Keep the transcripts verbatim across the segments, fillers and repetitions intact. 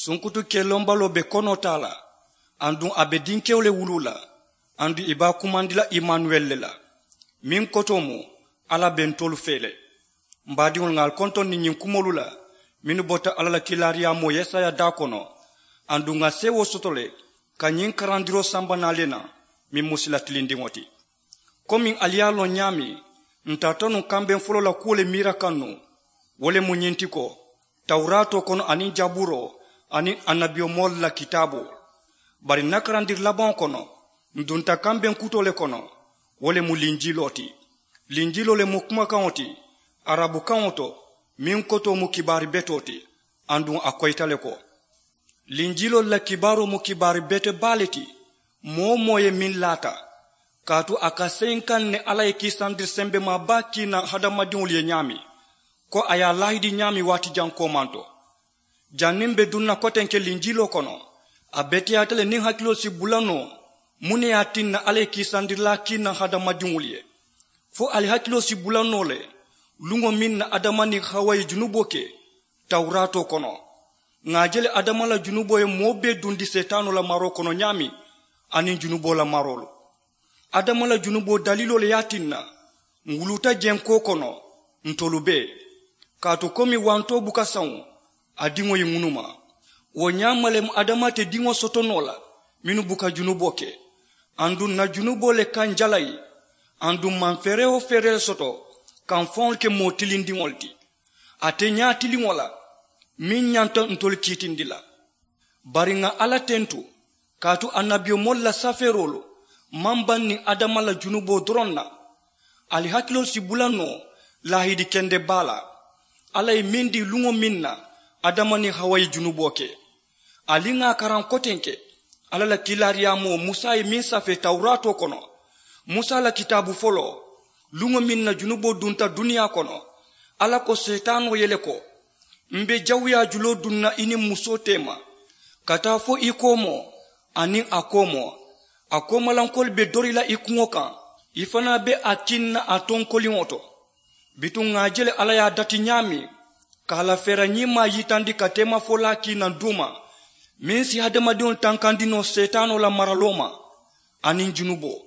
Sunkutu kelombaloo be konoo taa la, aduŋ a be dinkewo le wuluu la, aduŋ ì be a kumandi la imanuweli le la, meŋ kotoo mu alla be ntolu fee le. M baadiŋolu, ŋà ali kontondi ñiŋ kumoolu la mennu bota alla la kiilaariyaamoo yesaya daa kono, aduŋ ŋà seewoo soto le ka ñiŋ karandiroo samba naa le naŋ, meŋ mu sila tilindiŋo ti. Komiŋ ali ye a loŋ ñaameŋ, ǹ tarata nuŋ kambeŋ foloo la kuwo le miira kaŋ nuŋ. Wo le mu ñiŋ ti ko, tawuraatoo kono aniŋ jabuuroo aniŋ annabiyomoolu la kitaaboo. Bari ǹ na karandiri labaŋo kono, ǹ dunta kambeŋ kutoo le kono. Wo le mu linjiloo ti. Linjiloo le mu kumakaŋo ti, arabukaŋo to, meŋ kotoo mu kibaari betoo ti. Aduŋ a koyita le ko, linjiloolu la kibaaroo mu kibaari bete baa le ti. Moo-wo-moo ye meŋ laata, kaatu a ka seyi n kaŋ ne alla ye kiisandiri sembemaa baa kii naŋ hadamadiŋolu ye ñaameŋ, ko a ye a laahidi ñaameŋ waati jaŋ koomanto. Janniŋ m be duŋ na kotenke linjiloo kono, a beteyaata le niŋ hakiloo si bula noo muŋ ne ye a tinna alla ye kiisandirilaa kii naŋ hadamadiŋolu ye. Fo ali hakiloo si bula noo le luŋo meŋ na adama niŋ hawa ye junuboo ke tawuraatoo kono. Ŋà a je le adama la junuboo ye moo bee dundi seetaanoo la maroo kono ñaameŋ, aniŋ junuboo la maroolu. Adama la junuboo daliiloo le ye a tinna ǹ wuluuta jenkoo kono, ntolu bee. Kaatu komi wantoo buka saŋo, a diŋo ye ŋunuma. Wo ñaama le mu adama te diŋo soto noo la mennu buka junuboo ke. Aduŋ ǹ na junuboo le ka ǹ jalayi. Aduŋ ǹ maŋ feeree-wo-feeree le soto ka ǹ faŋolu ke moo tilindiŋolu ti, ate ñaatiliŋo la, meŋ ñanta ntolu kiitindi la. Bari ŋà alla tentu, kaatu annabiyomoolu la safeeroolu maŋ baŋ niŋ adama la junuboo doroŋ na. Ali hakiloolu si bula noo laahidi kende baa la, alla ye meŋ dii luŋo meŋ na adama niŋ hawa ye junuboo ke. Ali ŋà a karaŋ kotenke alla la kiilaariyaamoo musa ye meŋ safee tawuraatoo kono. Musa la kitaabu foloo, luŋo meŋ na junuboo dunta duniyaa kono, alla ko seetaanoo ye le ko, m be jawuyaa juloo duŋ na i niŋ musoo teema, ka taa fo i koomoo aniŋ a koomoo. A koomalankoolu be dori la i kuŋo kaŋ, i fanaa be a kiŋ na a tonkoliŋo to. Bituŋ ŋà a je le alla ye a dati ñaameŋ, ka a la feera ñiimaa yitandi ka teemafolaa kii naŋ duuma, meŋ si hadamadiŋolu tankandi noo seetaanoo la maraloo ma aniŋ junuboo.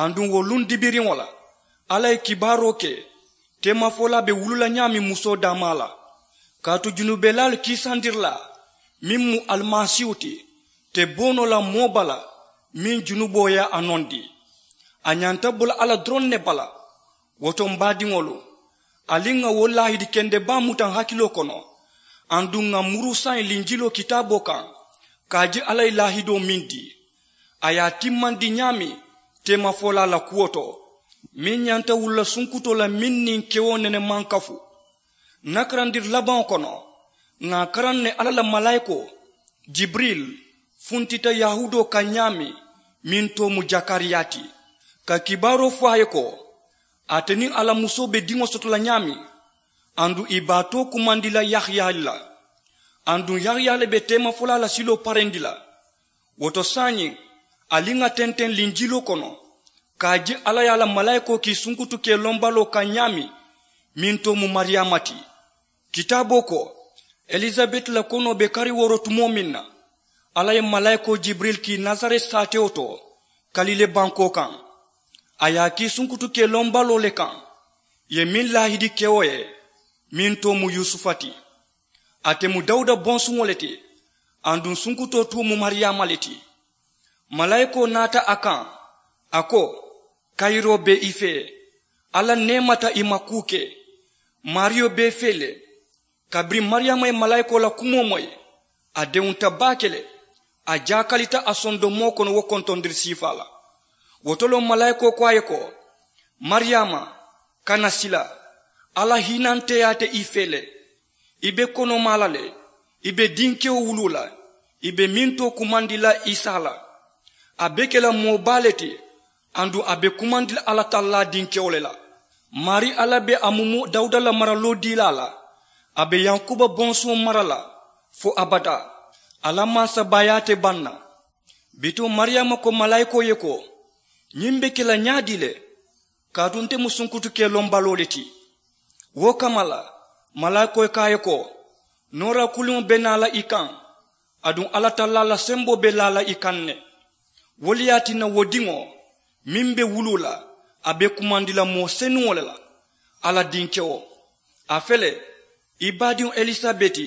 Aduŋ wo luŋ dibiriŋo la, alla ye kibaaroo ke teemafolaa be wulu la ñaameŋ musoo daamaa la. Kaatu junubelaalu kiisandirilaa meŋ mu alimasiihu ti, te bo noo la moo bala meŋ junuboo ye a nondi. A ñanta bo la alla doroŋ ne bala. Wo to m baadiŋolu, ali ŋà wo laahidi kende baa muta ǹ hakiloo kono, aduŋ ŋà muru saayiŋ linjiloo kitaaboo kaŋ, ka a je alla ye laahidoo meŋ dii, a ye a timmandi ñaameŋ teemafolaa la kuwo to, meŋ ñanta wulula sunkutoo la meŋ niŋ kewo nene maŋ kafu. Ǹ na karandiri labaŋo kono, ŋà a karaŋ ne alla la malaayikoo jibiril funtita yahuudoo kaŋ ñaameŋ, meŋ too mu jakariyaa ti, ka kibaaroo fo a ye ko, ate niŋ a la musoo be diŋo soto la ñaameŋ, aduŋ ì be a too kumandi la yahaya le la. Aduŋ yahaya le be teemafolaa la siloo parendi la. Wo to saayiŋ, ali ŋà tenteŋ linjiloo kono, ka a je alla ye a la malaayikoo kii sunkutu kelombaloo kaŋ ñaameŋ, meŋ too mu mariyaama ti. Kitaaboo ko, elisabeti la konoo be kari wooro tumoo meŋ na, alla ye malaayikoo jibiril kii nasareti saatewo to, kalilee bankoo kaŋ. A ye a kii sunkutu kelombaloo le kaŋ, ì ye meŋ laahidi kewo ye, meŋ too mu yusufa ti. Ate mu dawuda bonsuŋo le ti, aduŋ sunkutoo tuu mu mariyaama le ti. Malaayikoo naata a kaŋ, a ko, kayiroo be i fee, alla neemata i ma kuu ke. Maariyo be i fee le. Kabiriŋ mariyaama ye malaayikoo la kumoo moyi, a dewunta baake le. A jaakalita a sondomoo kono wo kontondiri siifaa la. Wo to le malaayikoo ko a ye ko, mariyaama, kana sila, alla hiinanteyaa te i fee le. I be konomaa la le, i be dinkewo wuluu la, i be meŋ too kumandi la isa la. A be ke la moo baa le ti, aduŋ a be kumandi la alla tallaa dinkewo le la. Maarii alla be a mumu dawuda la maraloo diilaa la. A be yankuba bonsuŋo mara la fo abadaa. A la mansabaayaa te baŋ na. Bituŋ mariyaama ko malaayikoo ye ko, ñiŋ be ke la ñaadii le? Kaatu nte mu sunkutu kelombaloo le ti. Wo kamma la, malaayikoo ko a ye ko, noora kuliŋo be naa la i kaŋ, Aduŋ alla tallaa la semboo be laa la i kaŋ ne. Wo le ye a tinna wo diŋo meŋ be wuluu la, a be kumandi la moo senuŋo le la. Alla dinkewo, a fele, i baadiŋo elisabeti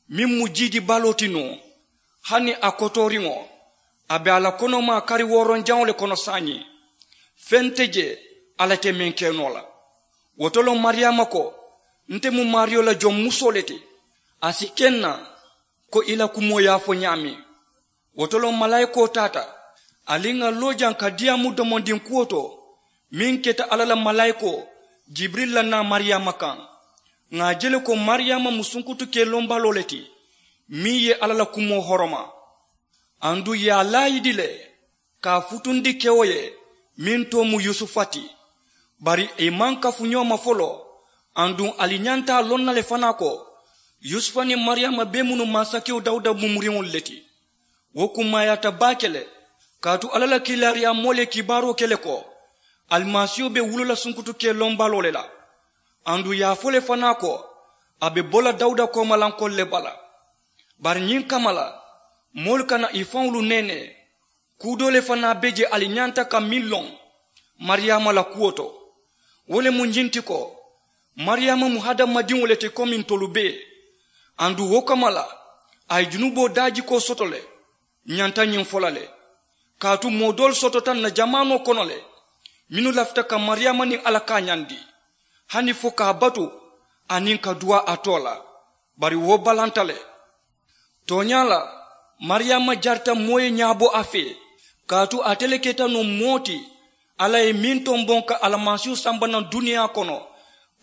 meŋ mu jiidi baloo ti nuŋ, hani a kotooriŋo, a be a la konomaa kari wooronjaŋo le kono saayiŋ. Feŋ te jee alla te meŋ ke noo la. Wo to loŋ mariyaama ko, nte mu maariyo la joŋ musoo le ti, a si ke n na ko i la kumoo ye a fo ñaameŋ. Wo to loŋ malaayikoo taata, ali ŋà loo jaŋ ka diyaamu domondiŋ kuwo to meŋ keta alla la malaayikoo jibirili la naa mariyaama kaŋ. Ŋà a je le ko mariyaama mu sunkutu kee lombaloo le ti meŋ ye alla la kumoo horoma. Aduŋ ì ye a laayidi le ka a futundi kewo ye meŋ too mu yusufa ti. Bari ì maŋ kafu ñoo ma foloo. Aduŋ ali ñanta a loŋ na le fanaa ko yusufa niŋ mariyaama bee mu nuŋ mansakewo dawuda mumuriŋolu le ti. Wo kummaayaata baake le, kaatu alla la kiilaariyaamoolu ye kibaaroo ke le ko alimasiiho be wuloo la sunkutu kee lombaloo le la. Aduŋ ì ye a fo le fanaa ko a be bo la dawuda koomalankoolu le bala. Bari ñiŋ kamma la, moolu kana ì faŋolu neenee. Kuu doo le fanaa be je ali ñanta ka meŋ loŋ mariyaama la kuwo to. Wo le mu ñiŋ ti ko mariyaama mu hadamadiŋo le ti komi ntolu bee. Aduŋ wo kamma la, a ye junuboo daajikoo soto le. Ñanta ñiŋ fo la le, kaatu moo doolu sotota ǹ na jamaanoo kono le mennu lafita ka mariyaama niŋ alla kaañandi hani fo ka a batu aniŋ ka duwaa a too la. Bari wo balanta le. Tooñaa la, mariyaama jarita moo ye ñaabo a fee, kaatu ate le keta nuŋ moo ti alla ye meŋ tomboŋ ka alimasiihu samba naŋ duniyaa kono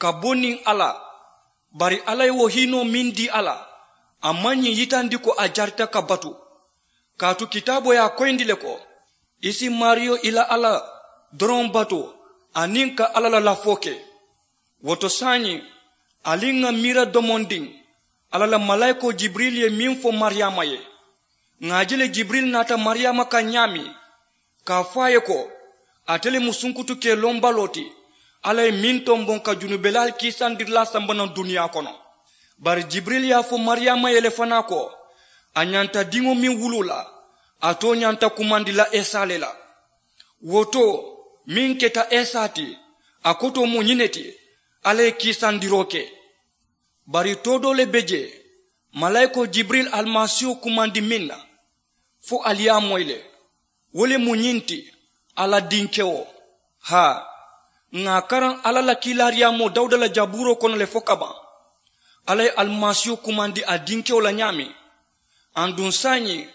ka bo niŋ a la. Bari alla ye wo hiinoo meŋ dii a la, a maŋ ñiŋ yitandi ko a jarita ka batu. Kaatu kitaaboo ye a koyindi le ko i si maariyo i la alla doroŋ batu aniŋ ka alla la lafoo ke. Wo to saayiŋ, ali ŋà miira domondiŋ alla la malaayikoo jibirili ye meŋ fo mariyaama ye. Ŋà a je le jibirili naata mariyaama kaŋ ñaameŋ ka a fo a ye ko ate le mu sunkutu kee lombaloo ti, alla ye meŋ tomboŋ ka junubelaalu kiisandirilaa samba naŋ duniyaa kono. Bari jibirili ye a fo mariyaama ye le fanaa ko a ñanta diŋo meŋ wuluu la, a too ñanta kumandi la esa le la. Wo too meŋ keta esa ti, a kotoo mu ñiŋ ne ti, alla ye kiisandiroo ke. Bari too doo le be jee malaayikoo jibirili alimasiiho kumandi meŋ na, fo ali ye a moyi le. Wo le mu ñiŋ ti, alla dinkewo. Haa, ŋà a karaŋ alla la kiilaariyaamoo dawuda la jabuuroo kono le fo kabaŋ. Alla ye alimasiiho kumandi a dinkewo la ñaameŋ. Aduŋ saayiŋ,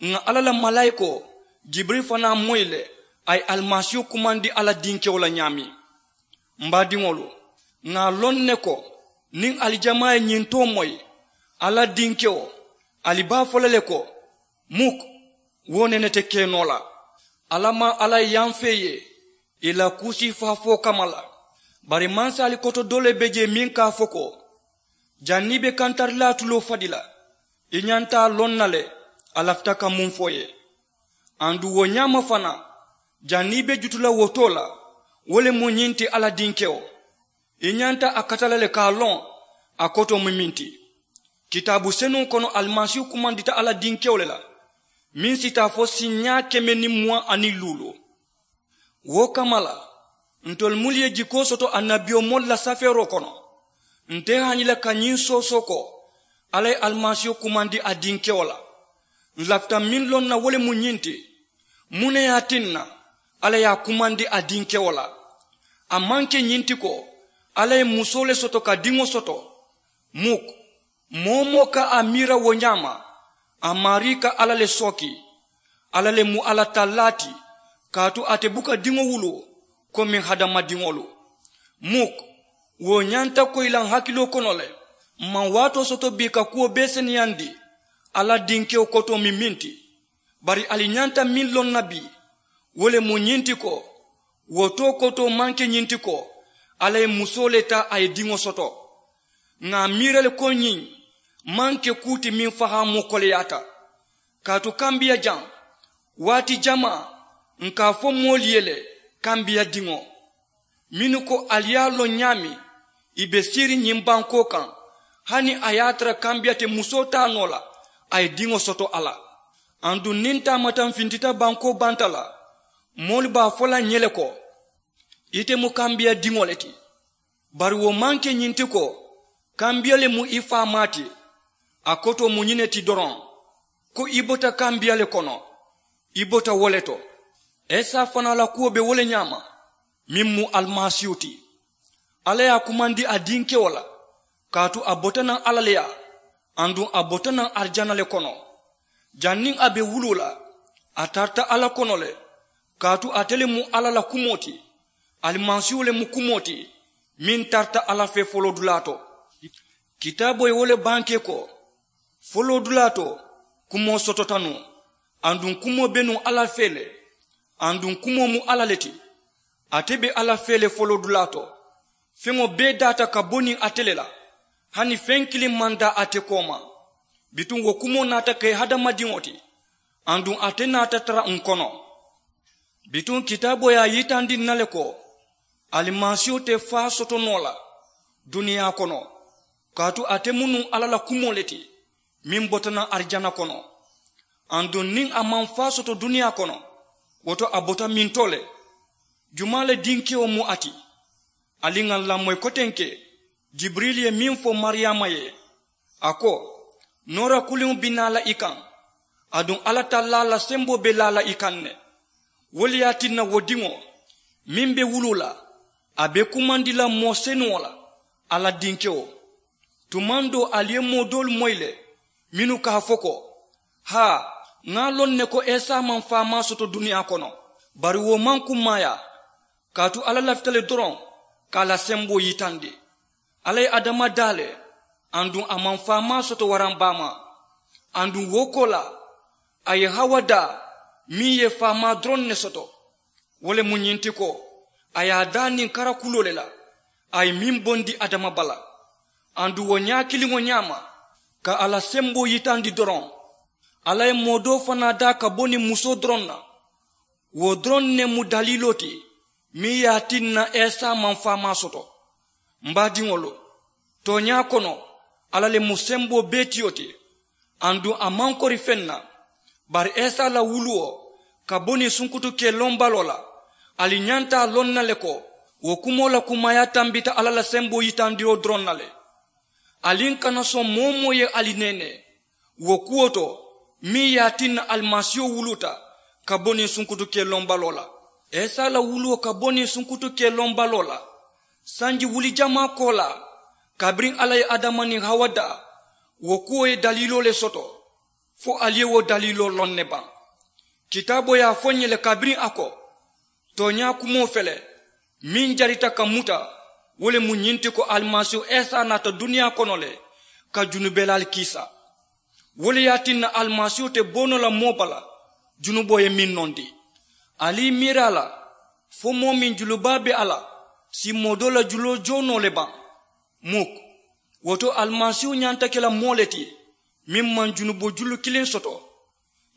ŋà alla la malaayikoo jibirili fanaa moyi le, a ye alimasiiho kumandi alla dinkewo la ñaameŋ. M baadiŋolu, ŋà a loŋ ne ko niŋ ali jamaa ye ñiŋ too moyi, alla dinkewo, ali be a fo la le ko, muk, wo nene te ke noo la. Alla maŋ alla ye yamfee ye ì la kuusii faafoo kamma la. Bari mansaali koto doo le be jee meŋ ka a fo ko, janniŋ i be kantarilaa tuloo fadi la, i ñanta a loŋ na le a lafita ka muŋ fo i ye. Aduŋ wo ñaama fanaa, janniŋ i be jutu la wo too la, wo le mu ñiŋ ti alla dinkewo. I ñanta a kata la le ka a loŋ a kotoo mu meŋ ti. Kitaabu senuŋo kono alimasiihu kumandita alla dinkewo le la, meŋ si taa fo siiñaa keme niŋ muwaŋ aniŋ luulu. Wo kamma la, ntolu munnu ye jikoo soto annabiyomoolu la safeeroo kono, nte haañi la ka ñiŋ soosoo ko alla ye alimasiihu kumandi a dinkewo la. N lafita meŋ loŋ na wo le mu ñiŋ ti, muŋ ne ye a tinna alla ye a kumandi a dinkewo la? A maŋ ke ñiŋ ti ko alla ye musoo le soto ka diŋo soto? Muk. Moo-wo-moo ka a miira wo ñaama, a maarii ka alla le sooki. Alla le mu alla tallaa ti, kaatu ate buka diŋo wuluu komi hadamadiŋolu. Muk. Wo ñanta koyi la n hakiloo kono le. M maŋ waatoo soto bii ka kuwo bee seneyandi alla dinkewo kotoo mu meŋ ti. Bari ali ñanta meŋ loŋ na bii, wo le mu ñiŋ ti ko, wo too kotoo maŋ ke ñiŋ ti ko alla ye musoo le taa a ye diŋo soto. Ŋà a miira le ko ñiŋ maŋ ke kuu ti meŋ fahaamoo koleyaata. Kaatu kambiya jaŋ, waati jamaa, ǹ ka a fo moolu ye le, kambiya diŋo, mennu ko ali ye a loŋ ñaameŋ, ì be siiriŋ ñiŋ bankoo kaŋ, hani a ye a tara kambiya te musoo taa noo la, A ye diŋo soto a la. Aduŋ niŋ taamataŋ fintita bankoo banta la, moolu be a fo la ǹ ye le ko, ite mu kambiya diŋo le ti. Bari wo maŋ ke ñiŋ ti ko kambiya le mu i faamaa ti. A kotoo mu ñiŋ ne ti doroŋ, ko i bota kambiya le kono, i bota wo le to. Isa fanaa la kuwo be wo le ñaama, meŋ mu alimasiihu ti. Alla ye a kumandi a dinkewo la, kaatu a bota naŋ alla le yaa, aduŋ a bota naŋ arijana le kono. Janniŋ a be wuluu la, a tarata alla kono le, kaatu ate le mu alla la kumoo ti. Alimasiihu le mu kumoo ti, meŋ tarata alla fee foloodulaa to. Kitaaboo ye wo le bankee ko, foloodulaa to kumoo sotota nuŋ, aduŋ kumoo be nuŋ alla fee le, aduŋ kumoo mu alla le ti. Ate be alla fee le foloodulaa to. Feŋo bee daata ka bo niŋ ate le la, hani feŋ kiliŋ maŋ daa ate kooma. Bituŋ wo kumoo naata ke hadamadiŋo ti, aduŋ ate naata tara ǹ kono. Bituŋ kitaaboo ye a yitandi ǹ na le ko, alimasiihu te faa soto noo la duniyaa kono, kaatu ate mu nuŋ alla la kumoo le ti, meŋ bota naŋ arijana kono. Aduŋ niŋ a maŋ faa soto duniyaa kono, wo to a bota mintoo le. Jumaa le dinkewo mu a ti? Ali ŋà ǹ lamoyi kotenke, jibirili ye meŋ fo mariyaama ye, a ko, noora kuliŋo be naa la i kaŋ, aduŋ alla tallaa la semboo be laa la i kaŋ ne. Wo le ye a tinna wo diŋo meŋ be wuluu la, a be kumandi la moo senuŋo la, alla dinkewo. Tumaŋ doo ali ye moo doolu moyi le, mennu ka a fo ko, haa, ŋa a loŋ ne ko isa maŋ faamaa soto duniyaa kono, bari wo maŋ kummaayaa. Kaatu alla lafita le doroŋ ka a la semboo yitandi. Alla ye adama daa le, aduŋ a maŋ faamaa soto waraŋ baamaa. Aduŋ wo koolaa, a ye hawa daa, meŋ ye faamaa doroŋ ne soto. Wo le mu ñiŋ ti ko, a ye a daa niŋ karakuloo le la, a ye meŋ bondi adama bala. Aduŋ wo ñaa kiliŋo ñaama, ka a la semboo yitandi doroŋ, alla ye moo doo fanaa daa ka bo niŋ musoo doroŋ na. Wo doroŋ ne mu daliiloo ti, meŋ ye a tinna isa maŋ faamaa soto. M baadiŋolu, tooñaa kono, alla le mu semboo bee tiyo ti. Aduŋ a maŋ kori feŋ na. Bari isa la wuluwo ka bo niŋ sunkutu kee loŋ baloo la, ali ñanta a loŋ na le ko, wo kumoo la kummaayaa tambita alla la semboo yitandiroo doroŋ na le. Ali ǹ kana soŋ moo-wo-moo ye ali neenee wo kuwo to, meŋ ye a tinna alimasiiho wuluuta ka bo niŋ sunkutu kee loŋ baloo la. Isa la wuluwo ka bo niŋ sunkutu kee loŋ baloo la, sanji wuli jamaa koolaa, kabiriŋ alla ye adama niŋ hawa daa, wo kuwo ye daliiloo le soto. Fo ali ye wo daliiloo loŋ ne baŋ? Kitaaboo ye a fo ǹ ye le kabiriŋ a ko, tooñaa kumoo fele, meŋ jarita ka muta, wo le mu ñiŋ ti ko alimasiihu isa naata duniyaa kono le ka junubelaalu kiisa. Wo le ye a tinna alimasiihu te bo noo la moo bala junuboo ye meŋ nondi. Ali i miira a la, fo moo meŋ julubaa be a la si moo doo la juloo joo noo le baŋ? Muk. Wo to alimasiihu ñanta ke la moo le ti meŋ maŋ junuboo julu kiliŋ soto.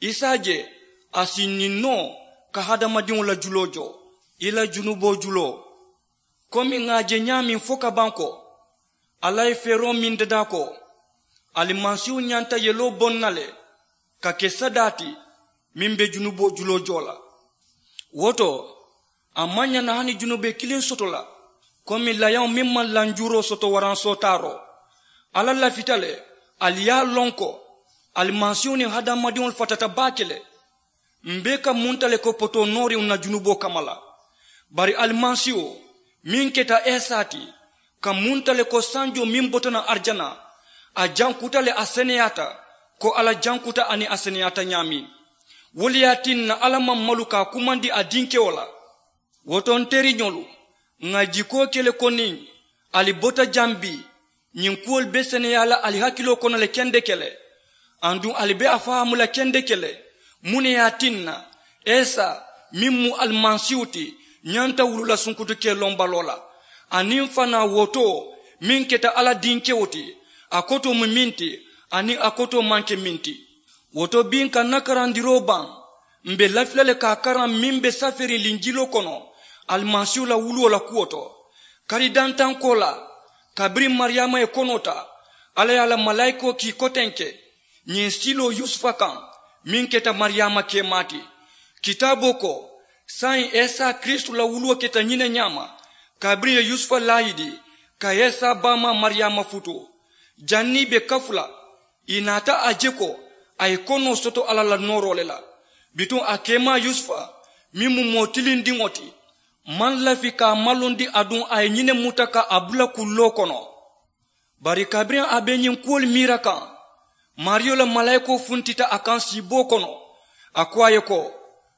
I si a je a si ñiŋ noo ka hadamadiŋo la juloo joo, i la junuboo juloo. Komi ŋà a je ñaameŋ fo ka baŋ ko, alla ye feeroo meŋ dadaa ko, alimasiihu ñanta yeloo boŋ na le ka ke sadaa ti meŋ be junuboo juloo joo la. Wo to, a maŋ ñaŋ na hani junubee kiliŋ soto la, komi layaŋo meŋ maŋ lanjuuroo soto waraŋ sootaaroo. Alla lafita le ali ye a loŋ ko alimasiihu niŋ hadamadiŋolu fatata baake le. M̀ be ka munta le ko potoo nooriŋo ǹ na junuboo kamma la. Bari alimasiihu meŋ keta isa ti, ka munta le ko sanjoo meŋ bota naŋ arijana, a jankuta le a seneyaata. Ko alla jankuta aniŋ a seneyaata ñaameŋ, wo le ye a tinna alla maŋ malu ka a kumandi a dinkewo la. Wo to ǹ teriñolu, ŋà jikoo ke le ko niŋ ali bota jaŋ bii, ñiŋ kuwolu be seneyaa la ali hakiloo kono le kendeke le. Aduŋ ali be a fahaamu la kendeke le, muŋ ne ye a tinna isa meŋ mu alimasiihu ti ñanta wuluu la sunkutu kee loŋ baloo la? Aniŋ fanaa wo to meŋ keta alla dinkewo ti, a kotoo mu meŋ ti, aniŋ a kotoo maŋ ke meŋ ti? Wo to bii ǹ ka ǹ na karandiroo baŋ, m̀ be lafi la le ka a karaŋ meŋ be saferiŋ linjiloo kono alimasiihu la wuluwo la kuwo to. Kari dantaŋ koolaa, kabiriŋ mariyaama ye konoo taa, alla ye a la malaayikoo kii kotenke. Ñiŋ siloo yusufa kaŋ meŋ keta mariyaama keemaa ti. Kitaaboo ko, saayiŋ isa kiristu la wuluwo keta ñiŋ ne ñaama, kabiriŋ ì ye yusufa laayidi ka isa baamaa mariyaama futuu. Janniŋ ì be kafu la, ì naata a je ko a ye konoo soto alla la nooroo le la. Bituŋ a keemaa yusufa meŋ mu moo tilindiŋo ti, maŋ lafi ka a malondi aduŋ a ye ñiŋ ne muta ka a bula kulloo kono. Bari kabiriŋ a be ñiŋ kuwolu miira kaŋ, maariyo la malaayikoo funtita a kaŋ siiboo kono. A ko a ye ko,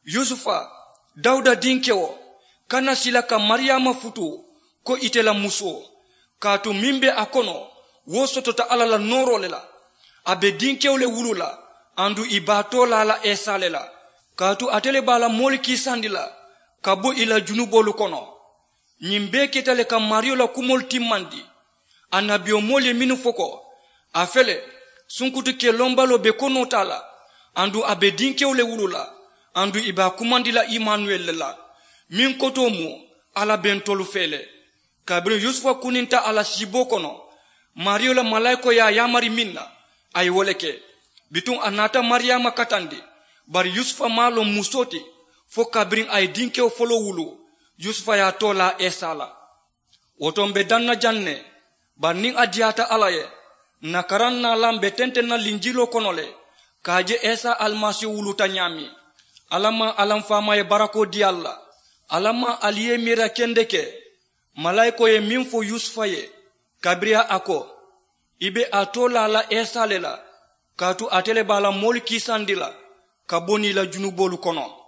yusufa, dawuda dinkewo, kana sila ka mariyaama futuu ko ite la musoo. Kaatu meŋ be a kono, wo sotota alla la nooroo le la. A be dinkewo le wuluu la, aduŋ ì be a toolaa la isa le la. Kaatu ate le be a la moolu kiisandi la ka bo ì la junuboolu kono. Ñiŋ bee keta le ka maariyo la kumoolu timmandi. Annabiyomoolu ye mennu fo ko, a fele, sunkutu kelombaloo be konoo taa la, aduŋ a be dinkewo le wuluu la, aduŋ ì be a kumandi la imanuweli le la, meŋ kotoo mu, alla be ntolu fee le. Kabiriŋ yusufa kuninta a la siiboo kono, maariyo la malaayikoo ye a yaamari meŋ na, a ye wo le ke. Bituŋ a naata mariyaama katandi, bari yusufa maŋ a loŋ musoo ti fo kabiriŋ a ye dinkewo foloo wuluu. Yusufa ye a toolaa isa la. Wo to m̀ be daŋ na jaŋ ne, bari niŋ a diyaata alla ye, ǹ na karaŋ naalaŋ be tenteŋ na linjiloo kono le, ka a je isa alimasiihu wuluuta ñaameŋ. Alla maŋ alamfaamaa ye barakoo dii ali la. Alla maŋ ali ye i miira kendeke. Malaayikoo ye meŋ fo yusufa ye, kabiriŋ a ko, i be a toolaa la isa le la, kaatu ate le be a la moolu kiisandi la ka bo niŋ ì la junuboolu kono.